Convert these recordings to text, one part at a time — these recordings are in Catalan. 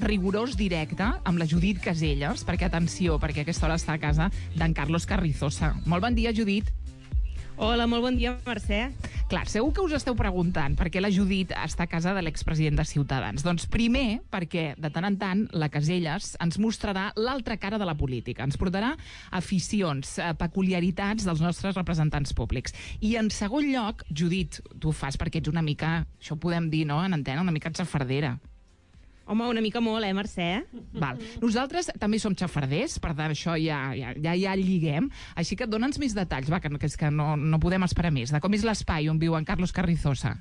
rigorós directe amb la Judit Caselles, perquè, atenció, perquè a aquesta hora està a casa d'en Carlos Carrizosa. Molt bon dia, Judit. Hola, molt bon dia, Mercè. Clar, segur que us esteu preguntant per què la Judit està a casa de l'expresident de Ciutadans. Doncs primer, perquè de tant en tant la Caselles ens mostrarà l'altra cara de la política. Ens portarà aficions, peculiaritats dels nostres representants públics. I en segon lloc, Judit, tu ho fas perquè ets una mica, això ho podem dir, no?, en antena, una mica xafardera. Home, una mica molt, Mercè? Val. Nosaltres també som xafarders, per tant, això ja lliguem. Així que dona'ns més detalls, va, que és que no podem esperar més. De com és l'espai on viu en Carlos Carrizosa?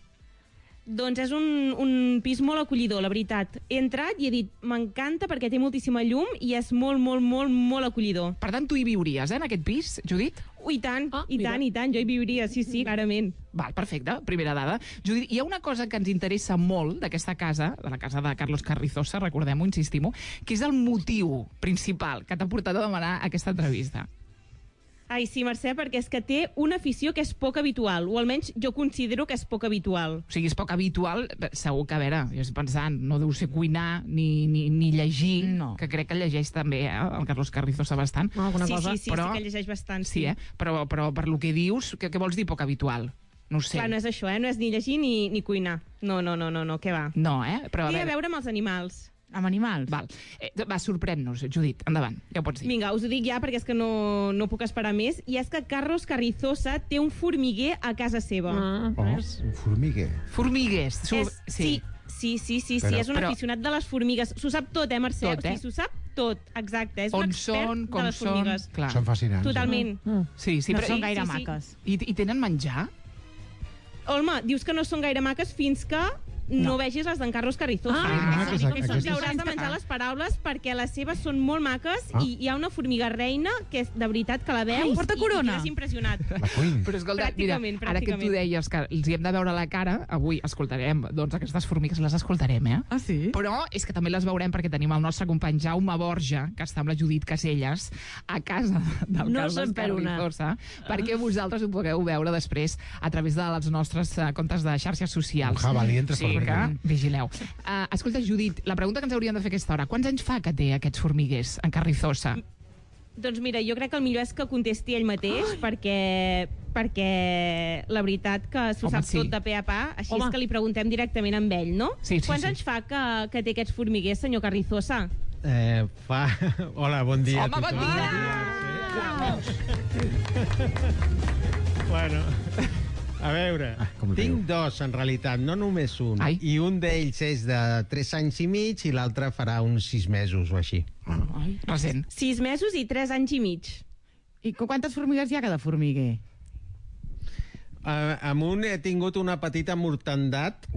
Doncs és un pis molt acollidor, la veritat. He entrat i he dit, m'encanta perquè té moltíssima llum i és molt, molt, molt, molt acollidor. Per tant, tu hi viuries, en aquest pis, Judit? I tant, i tant, jo hi viuria, sí, clarament. Val, perfecte, primera dada. Judit, hi ha una cosa que ens interessa molt d'aquesta casa, de la casa de Carlos Carrizosa, recordem-ho, insistim-ho, que és el motiu principal que t'ha portat a demanar aquesta entrevista. Ai, sí, Mercè, perquè és que té una afició que és poc habitual, o almenys jo considero que és poc habitual. O sigui, és poc habitual, segur que, a veure, jo estic pensant, no deu ser cuinar ni llegir, no. Que crec que llegeix també, el Carlos Carrizosa bastant. Alguna cosa. Sí, però, sí que llegeix bastant, sí. Però per lo que dius, què vols dir poc habitual? No ho sé. Clar, no és això, no és ni llegir ni cuinar. No, què va. No, però té a veure amb els animals. Amb animals? Val. Va, sorprèn-nos, Judit, endavant, ja ho pots dir. Vinga, us ho dic ja perquè és que no puc esperar més. I és que Carlos Carrizosa té un formiguer a casa seva. Un formiguer? Formiguers. Sí, és un aficionat de les formigues. S'ho sap tot, Mercè? Tot, Sí, s'ho sap tot, exacte. És un expert de les formigues. Són fascinants. Totalment. Sí, no són gaire maques. I tenen menjar? Home, dius que no són gaire maques fins que no vegis les d'en Carlos Carrizosa. Hauràs de menjar les paraules perquè les seves són molt maques i hi ha una formiga reina que és de veritat que la veus porta corona. I és impressionat. Però escolta, mira, ara que tu deies que els hi hem de veure la cara, avui escoltarem, doncs aquestes formigues les escoltarem, Ah, sí? Però és que també les veurem perquè tenim el nostre company Jaume Borja, que està amb la Judit Caselles, a casa del Carlos Carrizosa, perquè vosaltres ho pugueu veure després a través dels nostres comptes de xarxes socials. Un jabalí entre vigileu. Escolta, Judit, la pregunta que ens hauríem de fer a aquesta hora, quants anys fa que té aquests formiguers en Carrizosa? Doncs mira, jo crec que el millor és que contesti ell mateix, perquè la veritat que s'ho sap tot de pe a pa, així és que li preguntem directament amb ell, no? Quants anys fa que té aquests formiguers, senyor Carrizosa? Hola, bon dia. Home, bon dia! Bueno, a veure, tinc dos en realitat, no només un. I un d'ells és de 3 anys i mig i l'altre farà uns 6 mesos o així. Recent. 6 mesos i 3 anys i mig. I quantes formigues hi ha cada formiguer? Amb un he tingut una petita mortandat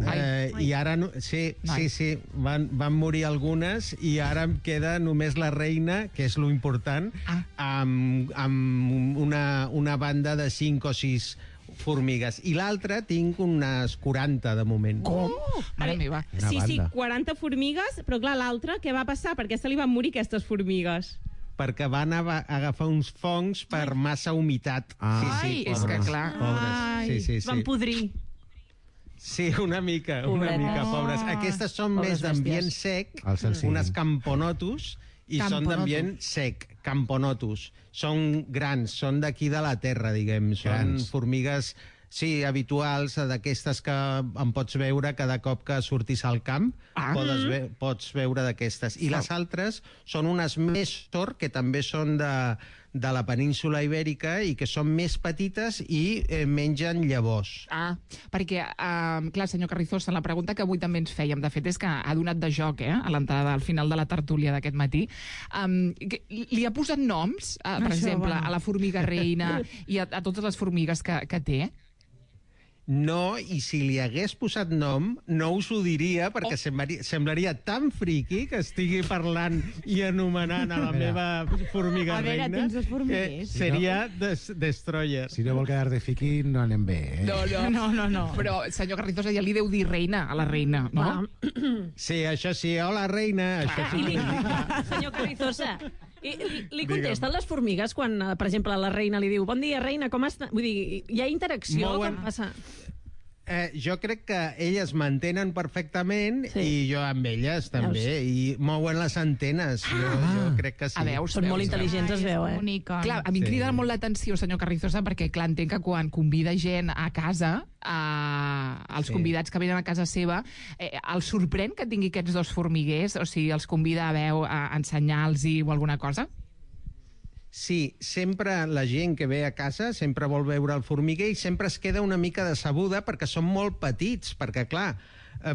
i ara van morir algunes i ara em queda només la reina, que és lo important, amb una banda de 5 o 6 formigues. I l'altre tinc unes 40 de moment. Com? Mare meva. Sí, 40 formigues, però clar, l'altre, què va passar? Per què se li van morir aquestes formigues? Perquè van agafar uns fongs per massa humitat. Ai, és que clar. Sí. Van podrir. Sí, una mica, pobres. Aquestes són més d'ambient sec, unes camponotus, i són d'ambient sec, camponotus. Són grans, són d'aquí de la terra, diguem. Són formigues, sí, habituals, d'aquestes que en pots veure cada cop que surtis al camp, pots veure d'aquestes. I les altres són unes Méstor, que també són de la península ibèrica i que són més petites i mengen llavors. Perquè, clar, senyor Carrizosa, la pregunta que avui també ens fèiem, de fet, és que ha donat de joc, a l'entrada, al final de la tertúlia d'aquest matí. Li ha posat noms, per exemple, a la formiga reina i a totes les formigues que té? No, i si li hagués posat nom, no us ho diria, perquè semblaria tan friqui que estigui parlant i anomenant a la meva formiga reina. A veure, tens els formiguers. Seria Destroyer. Si no vol quedar de friqui, no anem bé, No. Però, senyor Carrizosa, ja li deu dir reina a la reina, no? Sí, això sí. Hola, reina. Això sí. Senyor Carrizosa, li contesten les formigues quan, per exemple, la reina li diu bon dia, reina, com està? Vull dir, hi ha interacció? Com passa? Jo crec que elles mantenen perfectament i jo amb elles també, i mouen les antenes. Jo crec que sí. Són molt intel·ligents, es veu, Clar, a mi em crida molt l'atenció, senyor Carrizosa, perquè clar, entenc que quan convida gent a casa, els convidats que venen a casa seva, els sorprèn que tingui aquests dos formiguers? O sigui, els convida a ensenyar-los-hi o alguna cosa? Sí, sempre la gent que ve a casa sempre vol veure el formiguer i sempre es queda una mica decebuda perquè són molt petits, perquè, clar,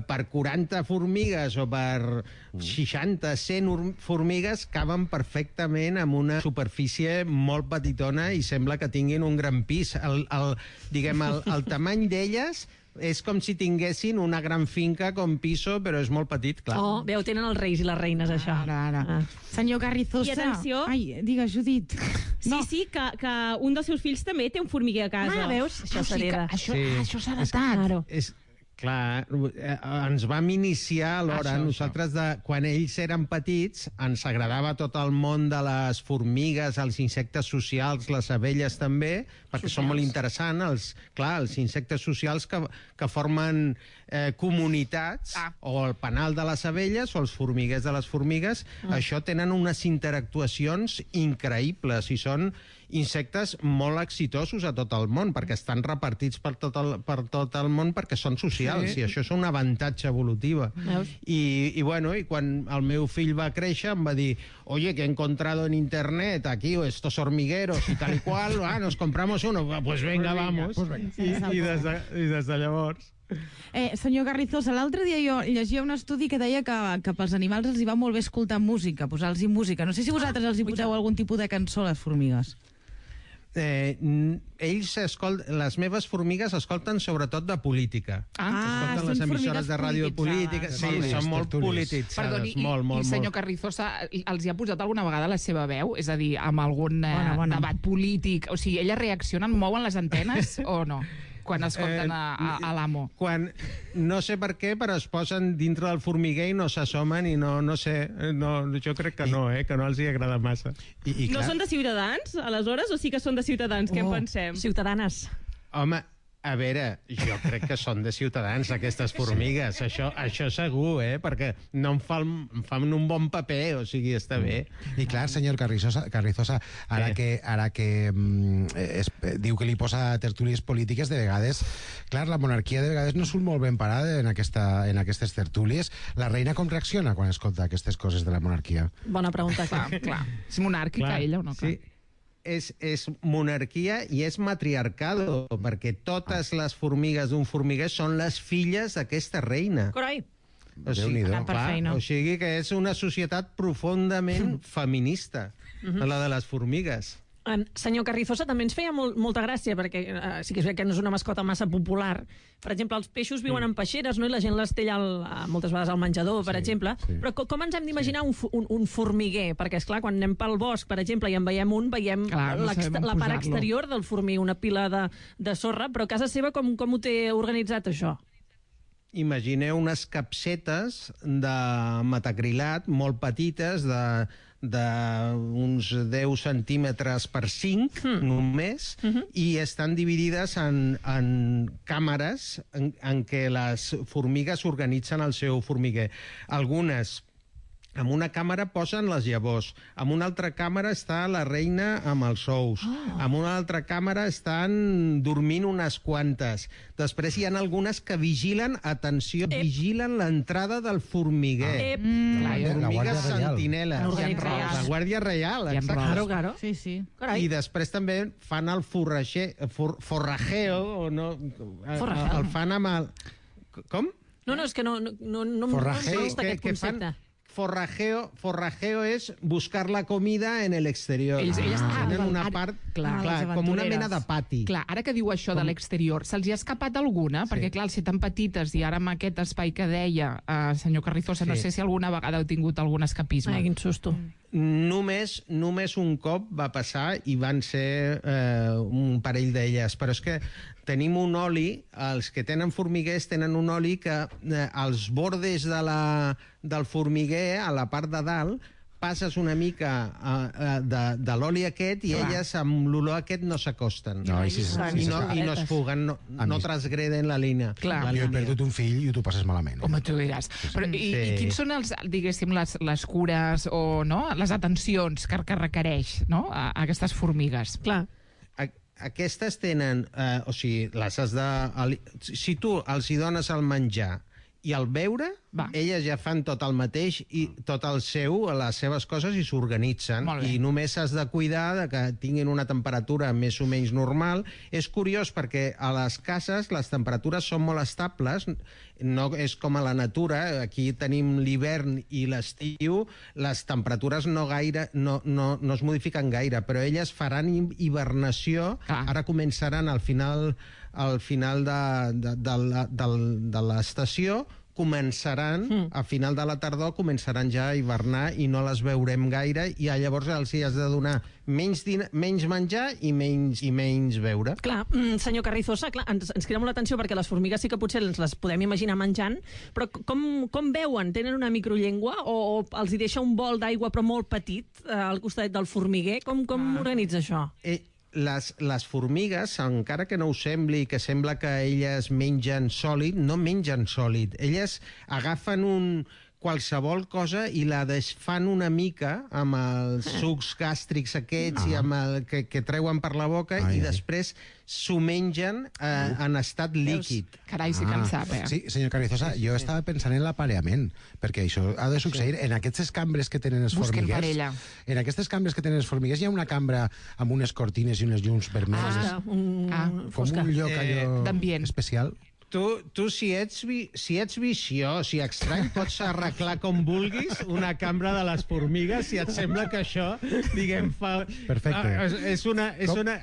per 40 formigues o per 60, 100 formigues caben perfectament en una superfície molt petitona i sembla que tinguin un gran pis. El tamany d'elles és com si tinguessin una gran finca com piso, però és molt petit, clar. Veu, tenen els reis i les reines, això. Ara. Senyor Carrizosa... I atenció... Ai, digues, Judit. Sí, que un dels seus fills també té un formiguer a casa. Veus? Això s'hereda. Això s'ha heretat. Clar, ens vam iniciar alhora. Nosaltres, quan ells eren petits, ens agradava tot el món de les formigues, els insectes socials, les abelles també, perquè són molt interessants. Els insectes socials que formen comunitats, o el penal de les abelles o els formiguers de les formigues, això tenen unes interactuacions increïbles i són insectes molt exitosos a tot el món, perquè estan repartits per tot el món perquè són socials, i això és un avantatge evolutiu. I quan el meu fill va créixer em va dir, oye, que he encontrado en internet aquí estos hormigueros y tal y cual, nos compramos uno, pues venga, vamos. I des de llavors... Senyor Carrizosa, l'altre dia jo llegia un estudi que deia que pels animals els hi va molt bé escoltar música, posar-los música. No sé si vosaltres els hi poseu algun tipus de cançó a les formigues. Les meves formigues escolten sobretot de política. Escolten les emissores de ràdio de política. Sí, són molt polititzades. Perdoni, i senyor Carrizosa, els hi ha posat alguna vegada la seva veu? És a dir, amb algun debat polític? O sigui, elles reaccionen, mouen les antenes o no? Quan escolten a l'amo. No sé per què, però es posen dintre del formiguer i no s'assomen i no sé, jo crec que no, que no els hi agrada massa. No són de Ciutadans, aleshores, o sí que són de Ciutadans? Què en pensem? Ciutadanes. Home, a veure, jo crec que són de Ciutadans, aquestes formigues. Això segur, perquè no em fan un bon paper, o sigui, està bé. I clar, senyor Carrizosa, ara que diu que li posa tertúlies polítiques, de vegades, clar, la monarquia de vegades no surt molt ben parada en aquestes tertúlies. La reina com reacciona quan escolta aquestes coses de la monarquia? Bona pregunta, clar. És monàrquica ella o no? Sí. És monarquia i és matriarcado, perquè totes les formigues d'un formiguer són les filles d'aquesta reina. Carai! O sigui que és una societat profundament feminista, la de les formigues. Senyor Carrizosa, també ens feia molta gràcia, perquè sí que és que no és una mascota massa popular. Per exemple, els peixos viuen en peixeres, no? I la gent les té moltes vegades al menjador, per exemple. Però com ens hem d'imaginar un formiguer? Perquè, esclar, quan anem pel bosc, per exemple, i en veiem la part exterior del formiguer, una pila de sorra, però a casa seva com ho té organitzat, això? Imagineu unes capsetes de metacrilat molt petites, d'uns 10 centímetres per 5 només, i estan dividides en càmeres en què les formigues organitzen el seu formiguer. Algunes en una càmera posen les llavors, en una altra càmera està la reina amb els ous, en una altra càmera estan dormint unes quantes. Després hi ha algunes que vigilen, atenció, vigilen l'entrada del formiguer. Formigues sentinela. La Guàrdia Reial, exacte. Claro. Sí. I després també fan el forrajeo, el fan amb el... Com? No, és que no Forrajeo, aquest concepte. Forrajeo es buscar la comida en el exterior. Ells tenen una part, com una mena de pati. Clar, ara que diu això de l'exterior, se'ls hi ha escapat alguna? Perquè, clar, al ser tan petites, i ara amb aquest espai que deia, senyor Carrizosa, no sé si alguna vegada heu tingut algun escapisme. Ai, quin susto. Només un cop va passar i van ser un parell d'elles, però és que tenim un oli, els que tenen formiguers tenen un oli que als bordes del formiguer, a la part de dalt, passes una mica de l'oli aquest i elles amb l'olor aquest no s'acosten. No, I no es fuguen, no transgreden la línia. Jo he perdut un fill i tu passes malament. Home, tu diràs. Però, i quins són diguéssim, les cures o les atencions que requereix a aquestes formigues? Clar. Aquestes tenen... o sigui, les has de... Si tu els hi dones el menjar i el beure, elles ja fan tot el mateix i tot el seu, les seves coses, i s'organitzen. I només has de cuidar de que tinguin una temperatura més o menys normal. És curiós perquè a les cases les temperatures són molt estables, no és com a la natura. Aquí tenim l'hivern i l'estiu, les temperatures no es modifiquen gaire, però elles faran hibernació. Ara començaran al final de l'estació, a final de la tardor començaran ja a hivernar i no les veurem gaire, i llavors els hi has de donar menys menjar i menys beure. Clar, senyor Carrizosa, ens crida molt l'atenció perquè les formigues sí que potser les podem imaginar menjant, però com veuen? Tenen una microllengua o els hi deixa un bol d'aigua però molt petit al costat del formiguer? Com organitza això? Les formigues, encara que no ho sembli, que sembla que elles mengen sòlid, no mengen sòlid. Elles agafen qualsevol cosa i la desfan una mica amb els sucs gàstrics aquests i amb el que treuen per la boca i després s'ho mengen en estat líquid. Carai, sí que en sap, Sí, senyor Carrizosa, jo estava pensant en l'aparellament, perquè això ha de succeir en aquestes cambres que tenen les formigues. En aquestes cambres que tenen les formigues hi ha una cambra amb unes cortines i unes llums vermelles. Com un lloc allò especial. Tu, si ets viciós, si estrany, pots arreglar com vulguis una cambra de les formigues, si et sembla que això, diguem, fa... Perfecte. És una...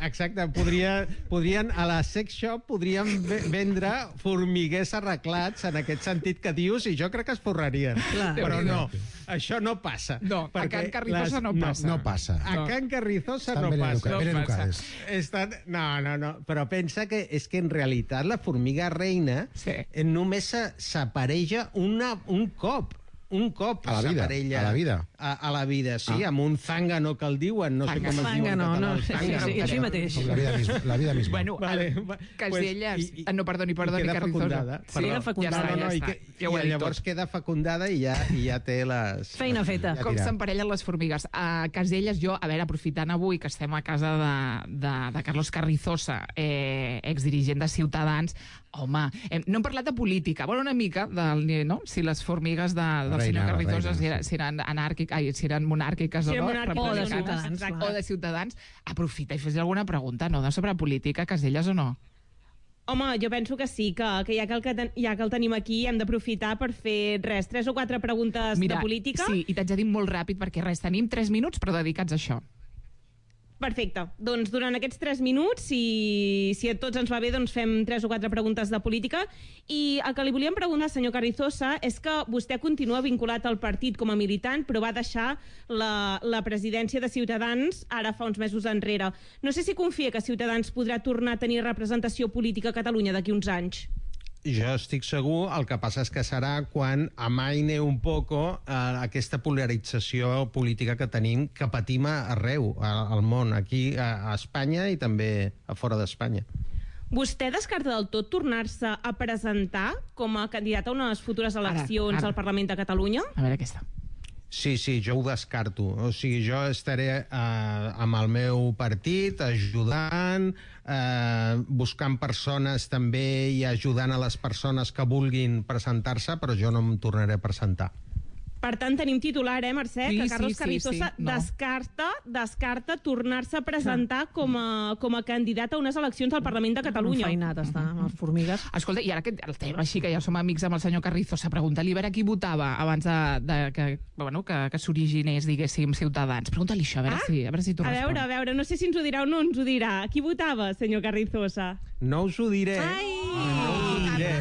Exacte, podrien, a la sex shop, podrien vendre formiguers arreglats en aquest sentit que dius, i jo crec que es forrarien. Però no, això no passa. No, a Can Carrizosa no passa. No passa. A Can Carrizosa no passa. Ben educades. No, però pensa que és que en realitat la formiga reina només s'apareja un cop. A la vida. A la vida, sí, amb un zángano que el diuen, no sé com es diuen. Sí, així mateix. La vida misma. Bueno, Caselles... No, perdoni, Carrizosa. Queda fecundada. I llavors queda fecundada i ja té les... Feina feta. Com s'emparellen les formigues. A Caselles, jo, a veure, aprofitant avui que estem a casa de Carlos Carrizosa, exdirigent de Ciutadans, home, no hem parlat de política, bueno, una mica, si les formigues del senyor Carrizosa si eren monàrquiques o no, o de Ciutadans, aprofita i fes alguna pregunta, no?, sobre política, Caselles, o no? Home, jo penso que sí, que ja que el tenim aquí hem d'aprofitar per fer 3 o 4 preguntes de política. Sí, i t'haig de dir molt ràpid perquè tenim 3 minuts però dedicats a això. Perfecte. Doncs durant aquests 3 minuts, si a tots ens va bé, doncs fem 3 o 4 preguntes de política. I el que li volíem preguntar, senyor Carrizosa, és que vostè continua vinculat al partit com a militant, però va deixar la presidència de Ciutadans ara fa uns mesos enrere. No sé si confia que Ciutadans podrà tornar a tenir representació política a Catalunya d'aquí uns anys. Jo estic segur, el que passa és que serà quan amaine un poco aquesta polarització política que tenim, que patim arreu al món, aquí a Espanya i també a fora d'Espanya. Vostè descarta del tot tornar-se a presentar com a candidat a unes futures eleccions al Parlament de Catalunya? A veure aquesta. Sí, jo ho descarto. O sigui, jo estaré amb el meu partit ajudant, buscant persones també i ajudant a les persones que vulguin presentar-se, però jo no em tornaré a presentar. Per tant, tenim titular, Mercè, que Carlos Carrizosa descarta tornar-se a presentar com a candidat a unes eleccions al Parlament de Catalunya. Enfeinat està, amb les formigues. Escolta, i ara que el tema així, que ja som amics amb el senyor Carrizosa, pregunta-li a veure qui votava abans que s'originés, diguéssim, Ciutadans. Pregunta-li això, a veure si t'ho respon. A veure, no sé si ens ho dirà o no ens ho dirà. Qui votava, senyor Carrizosa? No us ho diré. No us ho diré.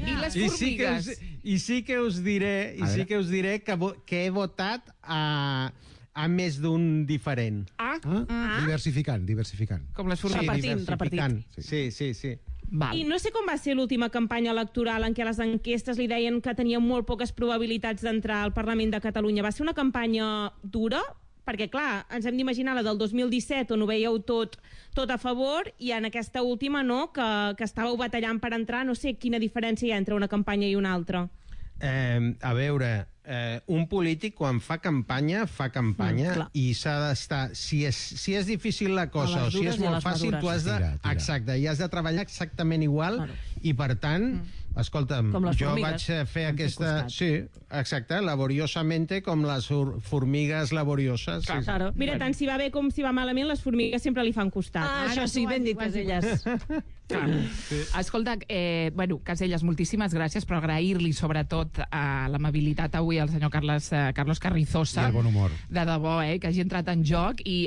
I les formigues? I sí que us diré que he votat a més d'un diferent. Diversificant. Com les formigues. Repetint. Sí. I no sé com va ser l'última campanya electoral en què les enquestes li deien que tenia molt poques probabilitats d'entrar al Parlament de Catalunya. Va ser una campanya dura? Perquè, clar, ens hem d'imaginar la del 2017, on ho veieu tot a favor, i en aquesta última, no?, que estàveu batallant per entrar. No sé quina diferència hi ha entre una campanya i una altra. A veure, un polític quan fa campanya i s'ha d'estar... Si és difícil la cosa o si és molt fàcil, tu has de... Exacte, i has de treballar exactament igual i, per tant, escolta'm, jo vaig fer aquesta... Sí, exacte, laboriosamente com les formigues laborioses. Mira, tant si va bé com si va malament, les formigues sempre li fan costat. Això sí, ben dit, Casellas. Escolta, Casellas, moltíssimes gràcies, però agrair-li sobretot l'amabilitat avui al senyor Carlos Carrizosa. I el bon humor. De debò, que hagi entrat en joc i,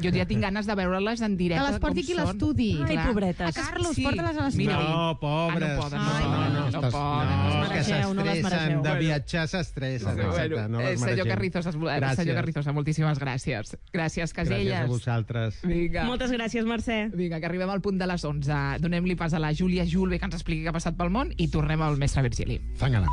jo ja tinc ganes de veure-les en directe. Que les porti aquí a l'estudi. Ai, pobretes. Carlos, porta-les a l'estudi. No, pobres. No poden. Que s'estressen, de viatjar s'estressen. Senyor Carrizosa, moltíssimes gràcies. Gràcies, Casellas. Gràcies a vosaltres. Moltes gràcies, Mercè. Vinga, que arribem al punt de les 11. Donem-li pas a la Júlia Julve, que ens expliqui què ha passat pel món, i tornem al mestre Virgili. Fangala.